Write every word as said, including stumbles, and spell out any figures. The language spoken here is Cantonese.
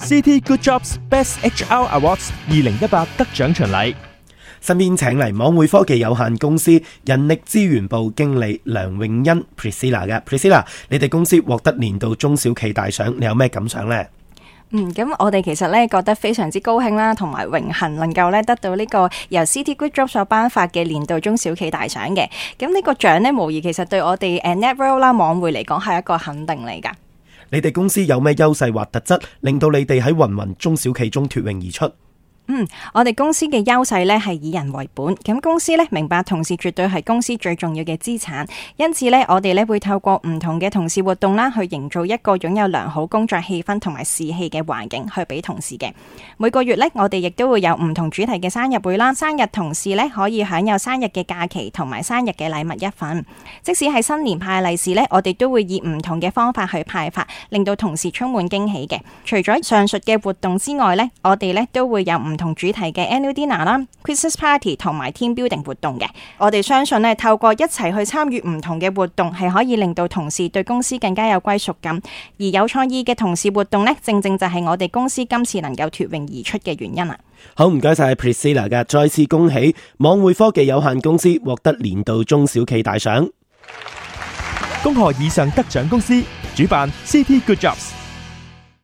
C T Good Jobs Best H R Awards 二零一八得獎巡禮。身邊請嚟網匯科技有限公司人力資源部經理梁詠欣 Priscilla 嘅 Priscilla， 你哋公司獲得年度中小企大獎，你有咩感想呢？嗯，咁我哋其實咧覺得非常之高興啦，同埋榮幸能夠咧得到呢個由 C T Good Jobs 所頒發嘅年度中小企大獎嘅。咁呢個獎呢，無疑其實對我哋誒 Networld 啦網匯嚟講係一個肯定嚟㗎。你哋公司有咩優勢或特質，令到你哋喺芸芸中小企中脫穎而出？嗯，我哋公司嘅優勢咧係以人為本，咁公司咧明白同事絕對係公司最重要嘅資產，因此咧我哋咧會透過唔同嘅同事活動啦，去營造一個擁有良好工作氣氛同埋士氣嘅環境，去俾同事嘅。每個月咧我哋亦都會有唔同主題嘅生日會啦，生日同事咧可以享有生日嘅假期同埋生日嘅禮物一份。即使係新年派利是咧，我哋都會以唔同嘅方法去派發，令到同事充滿驚喜嘅。除咗上述嘅活動之外咧，我哋咧都會有唔同主題嘅 annual dinner 啦、Christmas party 同埋 team building 活動嘅。我哋相信咧，透過一齊去參與唔同嘅活動，係可以令到同事對公司更加有歸屬感。而有創意嘅同事活動咧，正正就係我哋公司今次能夠脫穎而出嘅原因啦。好，唔該晒 Priscilla 嘅，再次恭喜網匯科技有限公司獲得年度中小企大獎。恭賀以上得獎公司，主辦 C T Good Jobs。